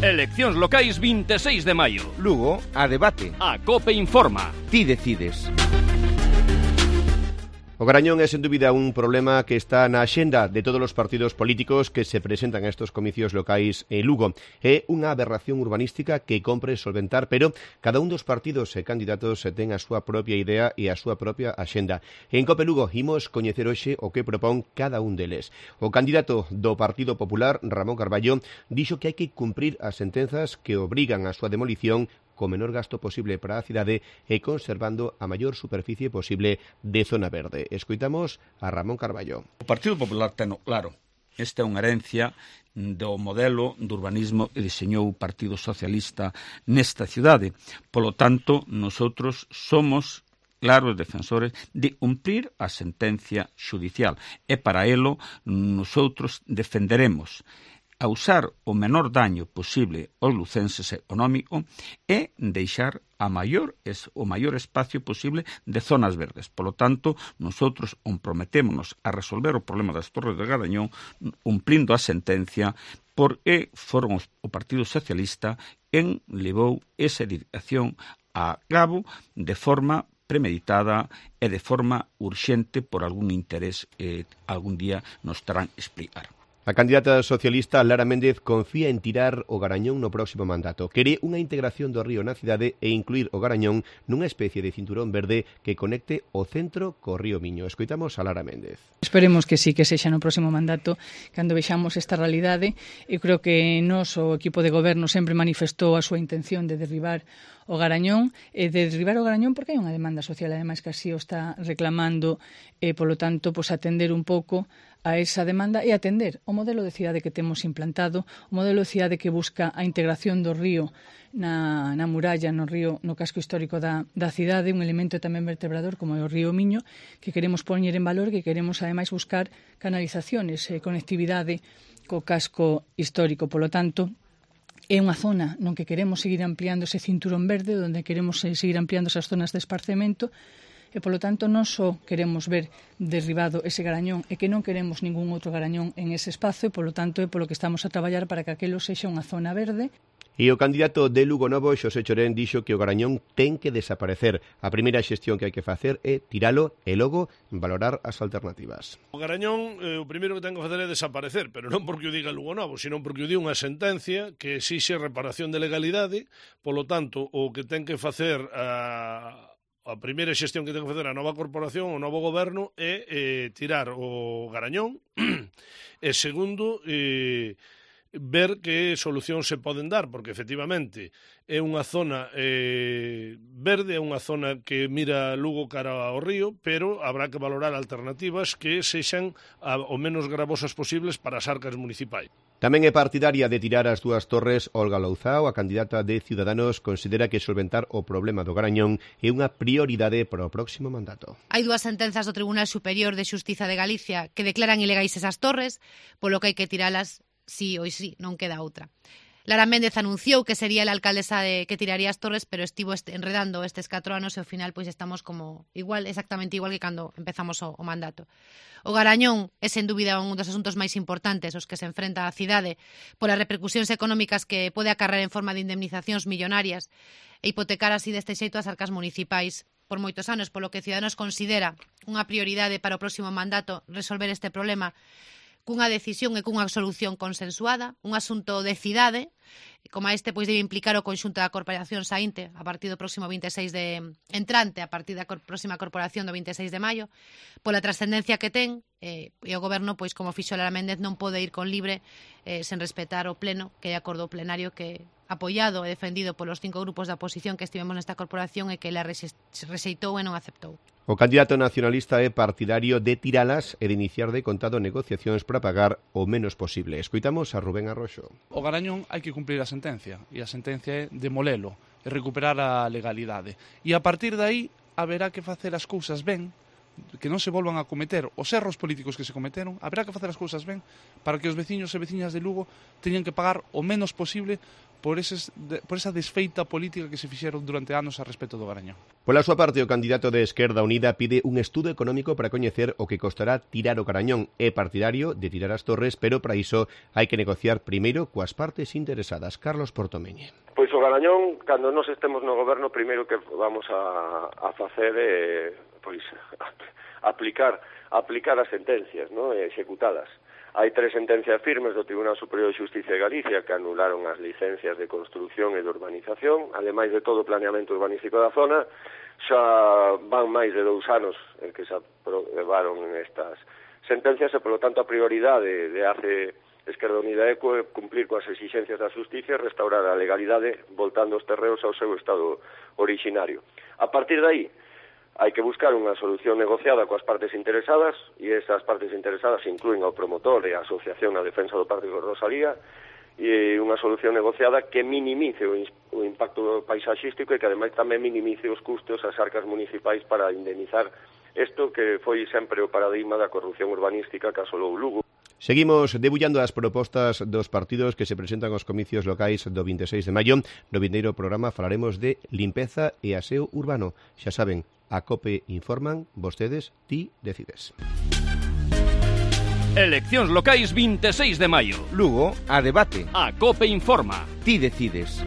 Eleccións locais 26 de maio. Lugo, a debate. A COPE informa. Ti decides. O Garañón é, sen dúbida, un problema que está na axenda de todos os partidos políticos que se presentan a estes comicios locais en Lugo. É unha aberración urbanística que compre solventar, pero cada un dos partidos e candidatos ten a súa propia idea e a súa propia axenda. En COPE Lugo imos coñecer hoxe o que propón cada un deles. O candidato do Partido Popular, Ramón Carballo, dixo que hai que cumprir as sentenzas que obrigan a súa demolición co menor gasto posible para a cidade e conservando a maior superficie posible de zona verde. Escoitamos a Ramón Carballo. O Partido Popular ten claro. Esta é unha herencia do modelo do urbanismo que diseñou o Partido Socialista nesta cidade. Polo tanto, nosotros somos claros defensores de cumprir a sentencia xudicial. E para elo, nosotros defenderemos a usar o menor daño posible aos lucenses económico e deixar o maior espacio posible de zonas verdes. Polo tanto, nosotros comprometémonos a resolver o problema das Torres de Garañón cumplindo a sentencia porque foron o Partido Socialista quen levou esa edificación a cabo de forma premeditada e de forma urxente por algún interés que algún día nos terán explicar. A candidata socialista Lara Méndez confía en tirar o Garañón no próximo mandato. Quere unha integración do río na cidade e incluir o Garañón nunha especie de cinturón verde que conecte o centro co río Miño. Escoitamos a Lara Méndez. Esperemos que sí, que sexa no próximo mandato cando vexamos esta realidade. Eu creo que nos, o equipo de goberno, sempre manifestou a súa intención de derribar o Garañón, porque hai unha demanda social, ademais que así o está reclamando, e polo tanto, atender un pouco a esa demanda e atender o modelo de cidade que temos implantado, o modelo de cidade que busca a integración do río na muralla, no río, no casco histórico da cidade, un elemento tamén vertebrador como é o río Miño, que queremos poñer en valor, que queremos ademais buscar canalizaciones e conectividade co casco histórico. Polo tanto, é unha zona non que queremos seguir ampliando ese cinturón verde, onde queremos seguir ampliando esas zonas de esparcemento, e, polo tanto, non só queremos ver derribado ese Garañón e que non queremos ningún outro Garañón en ese espazo, e, polo tanto, é polo que estamos a traballar para que aquelo sexa unha zona verde. E o candidato de Lugo Novo, Xosé Chorén, dixo que o Garañón ten que desaparecer. A primeira xestión que hai que facer é tiralo e logo valorar as alternativas. O Garañón, o primeiro que ten que facer é desaparecer, pero non porque o diga Lugo Novo, sino porque o di unha sentencia que exixe reparación de legalidade. Polo tanto, o que ten que facer a primeira xestión que ten que facer a nova corporación, o novo goberno, é tirar o Garañón e, segundo, ver que solucións se poden dar, porque efectivamente é unha zona verde, é unha zona que mira Lugo cara ao río, pero habrá que valorar alternativas que sexan o menos gravosas posibles para as arcas municipais. Tamén é partidaria de tirar as dúas torres. Olga Louzao, a candidata de Ciudadanos, considera que solventar o problema do Garañón é unha prioridade para o próximo mandato. Hai dúas sentenzas do Tribunal Superior de Xustiza de Galicia que declaran ilegais esas torres, polo que hai que tiralas sí ou sí, non queda outra. Lara Méndez anunciou que sería a alcaldesa que tiraría as torres, pero estivo enredando estes 4 anos e ao final estamos como exactamente igual que cando empezamos o mandato. O Garañón é sen dúbida un dos asuntos máis importantes os que se enfrenta a cidade polas repercusións económicas que pode acarrear en forma de indemnizacións millonarias e hipotecar así deste xeito as arcas municipais por moitos anos, polo que Ciudadanos considera unha prioridade para o próximo mandato resolver este problema cunha decisión e cunha solución consensuada, un asunto de cidade, como este debe implicar o conxunto da corporación saínte a partir do próximo 26 de entrante, a partir da próxima corporación do 26 de maio, pola trascendencia que ten, e o goberno, como fixo Lara Méndez, non pode ir con libre sen respetar o pleno, que é acordo plenario que apoiado e defendido polos 5 grupos da oposición que estivemos nesta corporación e que ela rexeitou e non aceptou. O candidato nacionalista é partidario de tiralas e de iniciar de contado negociacións para pagar o menos posible. Escoitamos a Rubén Arroxo. O Garañón hai que cumprir a sentencia, e a sentencia é demolelo e recuperar a legalidade. E a partir de aí haberá que facer as cousas ben que non se volvan a cometer os erros políticos que se cometeron, haberá que facer as cousas ben para que os veciños e veciñas de Lugo teñan que pagar o menos posible por esa desfeita política que se fixeron durante anos a respecto do Garañón. Pola súa parte, o candidato de Esquerda Unida pide un estudo económico para coñecer o que costará tirar o Garañón. É partidario de tirar as torres, pero para iso hai que negociar primeiro coas partes interesadas. Carlos Portomeñe. Pois o Garañón, cando nós estemos no goberno, primeiro que vamos a facer é aplicar as sentencias, ¿no? Executadas. Hai 3 sentencias firmes do Tribunal Superior de Xusticia de Galicia que anularon as licencias de construción e de urbanización, ademais de todo o planeamento urbanístico da zona. Xa van máis de 2 anos en que se aprobaron estas sentencias e, polo tanto, a prioridade de hace Esquerda Unida é cumplir coas exixencias da xusticia e restaurar a legalidade voltando os terreos ao seu estado originario. A partir de aí, hai que buscar unha solución negociada coas partes interesadas, e esas partes interesadas incluen ao promotor e a Asociación na Defensa do Parque de Rosalía, e unha solución negociada que minimice o impacto paisaxístico e que ademais tamén minimice os custos ás arcas municipais para indemnizar isto que foi sempre o paradigma da corrupción urbanística que asolou Lugo. Seguimos debullando as propostas dos partidos que se presentan aos comicios locais do 26 de maio. No vindeiro programa falaremos de limpeza e aseo urbano. Xa saben, a COPE informan, vostedes, ti decides. Eleccións locais 26 de maio. Lugo, a debate. A COPE informa. Ti decides.